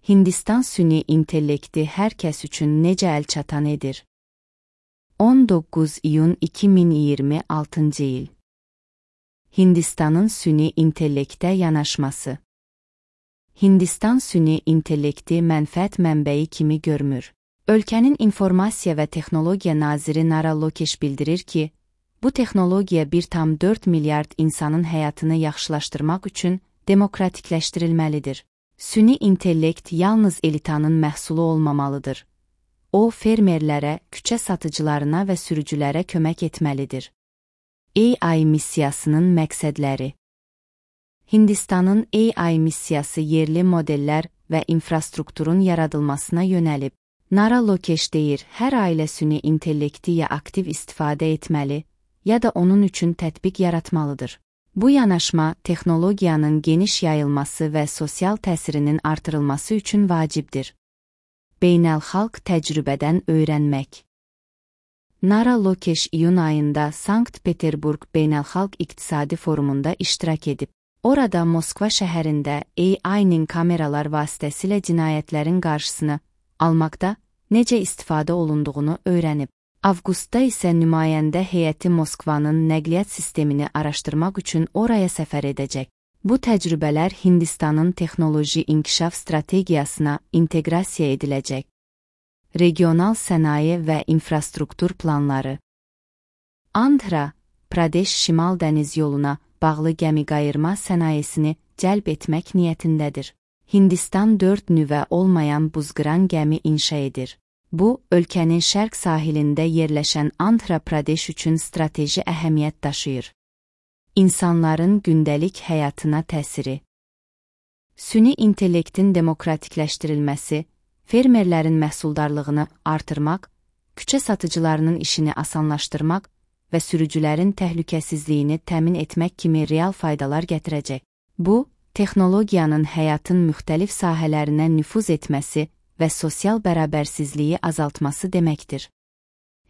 Hindistan süni intellekti hər kəs üçün necə əlçatan edir? 19 iyun 2026 il. Hindistanın süni intellektə yanaşması. Hindistan süni intellekti mənfəət mənbəyi kimi görmür. Ölkənin İnformasiya və Texnologiya naziri Nara Lokesh bildirir ki, bu texnologiya 1,4 milyard insanın həyatını yaxşılaşdırmaq üçün demokratikləşdirilməlidir. Süni intellekt yalnız elitanın məhsulu olmamalıdır. O, fermerlərə, küçə satıcılarına və sürücülərə kömək etməlidir. AI missiyasının məqsədləri. Hindistanın AI missiyası yerli modellər və infrastrukturun yaradılmasına yönəlib. Nara Lokesh deyir, hər ailə süni intellekti ya aktiv istifadə etməli, ya da onun üçün tətbiq yaratmalıdır. Bu yanaşma, texnologiyanın geniş yayılması və sosial təsirinin artırılması üçün vacibdir. Beynəlxalq təcrübədən öyrənmək. Nara Lokesh iyun ayında Sankt-Peterburg Beynəlxalq İqtisadi Forumunda iştirak edib. Orada Moskva şəhərində AI-nin kameralar vasitəsilə cinayətlərin qarşısını almaqda necə istifadə olunduğunu öyrənib. Avqustda isə nümayəndə heyəti Moskvanın nəqliyyat sistemini araşdırmaq üçün oraya səfər edəcək. Bu təcrübələr Hindistanın texnoloji inkişaf strategiyasına inteqrasiya ediləcək. Regional sənaye və infrastruktur planları. Andhra Pradesh Şimal dəniz yoluna bağlı gəmiqayırma sənayesini cəlb etmək niyyətindədir. Hindistan 4 nüvə olmayan buzqıran gəmi inşa edir. Bu, ölkənin şərq sahilində yerləşən Andhra Pradesh üçün strateji əhəmiyyət daşıyır. İnsanların gündəlik həyatına təsiri. Süni intellektin demokratikləşdirilməsi, fermerlərin məhsuldarlığını artırmaq, küçə satıcılarının işini asanlaşdırmaq və sürücülərin təhlükəsizliyini təmin etmək kimi real faydalar gətirəcək. Bu, texnologiyanın həyatın müxtəlif sahələrinə nüfuz etməsi və sosial bərabərsizliyi azaltması deməkdir.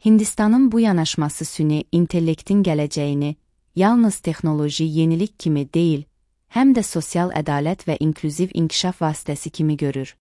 Hindistanın bu yanaşması süni intellektin gələcəyini yalnız texnoloji yenilik kimi deyil, həm də sosial ədalət və inklüziv inkişaf vasitəsi kimi görür.